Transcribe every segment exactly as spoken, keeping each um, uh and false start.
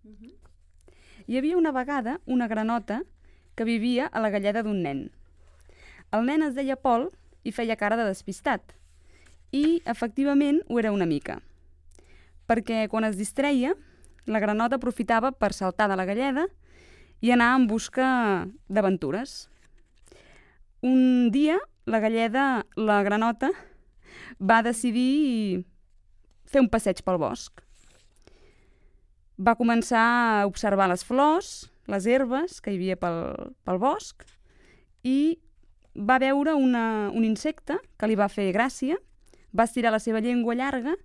Uh-huh. Hi havia una vegada una granota que vivia a la galleda d'un nen. El nen es deia Pol i feia cara de despistat. I, efectivament, ho era una mica. Perquè quan es distreia, la granota aprofitava per saltar de la galleda i anar en busca d'aventures. Un dia, la galleda, la granota, va decidir fer un passeig pel bosc. Va començar a observar les flors, les herbes que hi havia pel, pel bosc i va veure una, un insecte que li va fer gràcia, va estirar la seva llengua llarga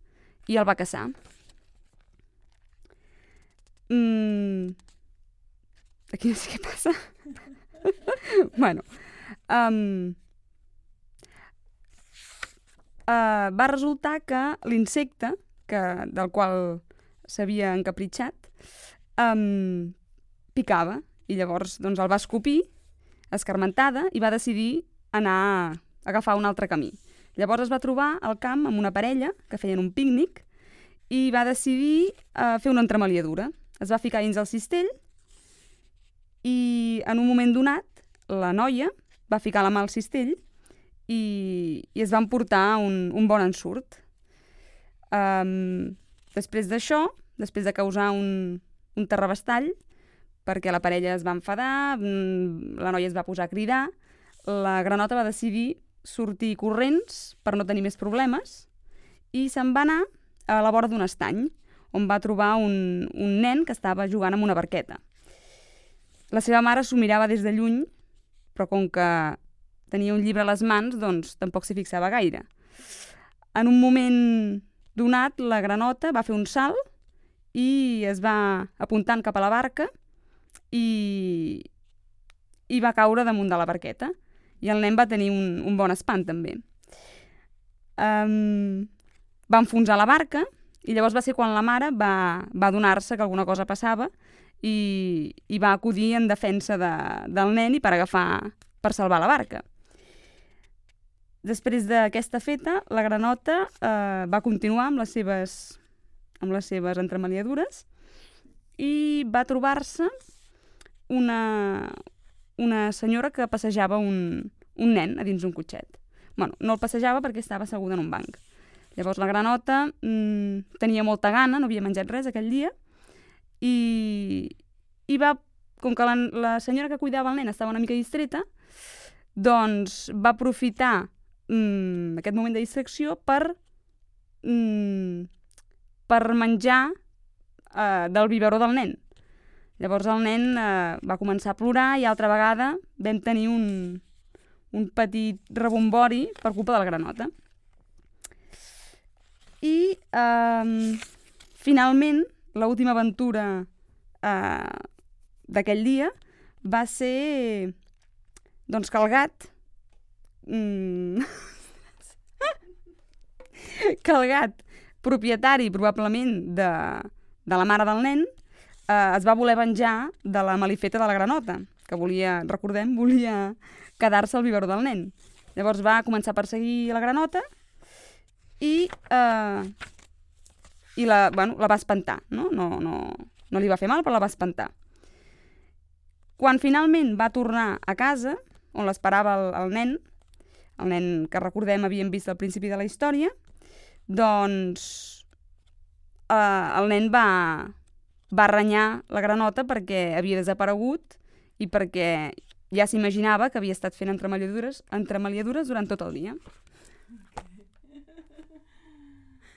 i el va caçar. Mm. Aquí no sé què passa. bueno, um, uh, va resultar que l'insecte, que, del qual s'havia encapritxat, um, picava i llavors doncs, el va escopir, escarmentada, i va decidir anar a agafar un altre camí. Llavors es va trobar al camp amb una parella que feien un pícnic i va decidir uh, fer una entremaliadura. Es va ficar dins el cistell i en un moment donat la noia va ficar la mà al cistell i, i es van portar un, un bon ensurt. Um, després d'això, després de causar un, un terrabastall, perquè la parella es va enfadar, la noia es va posar a cridar, la granota va decidir sortir corrents per no tenir més problemes i se'n va anar a la vora d'un estany, on va trobar un, un nen que estava jugant amb una barqueta. La seva mare s'ho mirava des de lluny, però com que tenia un llibre a les mans, doncs tampoc s'hi fixava gaire. En un moment donat, la granota va fer un salt i es va apuntant cap a la barca i, i va caure damunt de la barqueta. I el nen va tenir un, un bon espant, també. Um, va enfonsar la barca i llavors va ser quan la mare va, va adonar-se que alguna cosa passava i, i va acudir en defensa de, del nen i per agafar, per salvar la barca. Després d'aquesta feta, la granota eh, va continuar amb les seves, amb les seves entremaliadures i va trobar-se una, una senyora que passejava un, un nen a dins d'un cotxet. Bueno, no el passejava perquè estava asseguda en un banc. Llavors la granota mmm, tenia molta gana, no havia menjat res aquell dia, i, i va, com que la, la senyora que cuidava el nen estava una mica distreta, doncs va aprofitar mmm, aquest moment de distracció per, mmm, per menjar eh, del biberó del nen. Llavors el nen eh, va començar a plorar i altra vegada vam tenir un, un petit rebombori per culpa de la granota. I eh, finalment l'última aventura eh, d'aquell dia va ser doncs que el gat mm, que el gat propietari probablement de, de la mare del nen eh, es va voler venjar de la malifeta de la granota, que volia, recordem, volia quedar-se al biberó del nen. Llavors va començar a perseguir la granota i, eh, i la, bueno, la va espantar. No? No, no, no li va fer mal, però la va espantar. Quan finalment va tornar a casa, on l'esperava el, el nen, el nen que recordem havíem vist al principi de la història, doncs eh, el nen va, va renyar la granota perquè havia desaparegut i perquè ja s'imaginava que havia estat fent entremaliadures, entremaliadures durant tot el dia.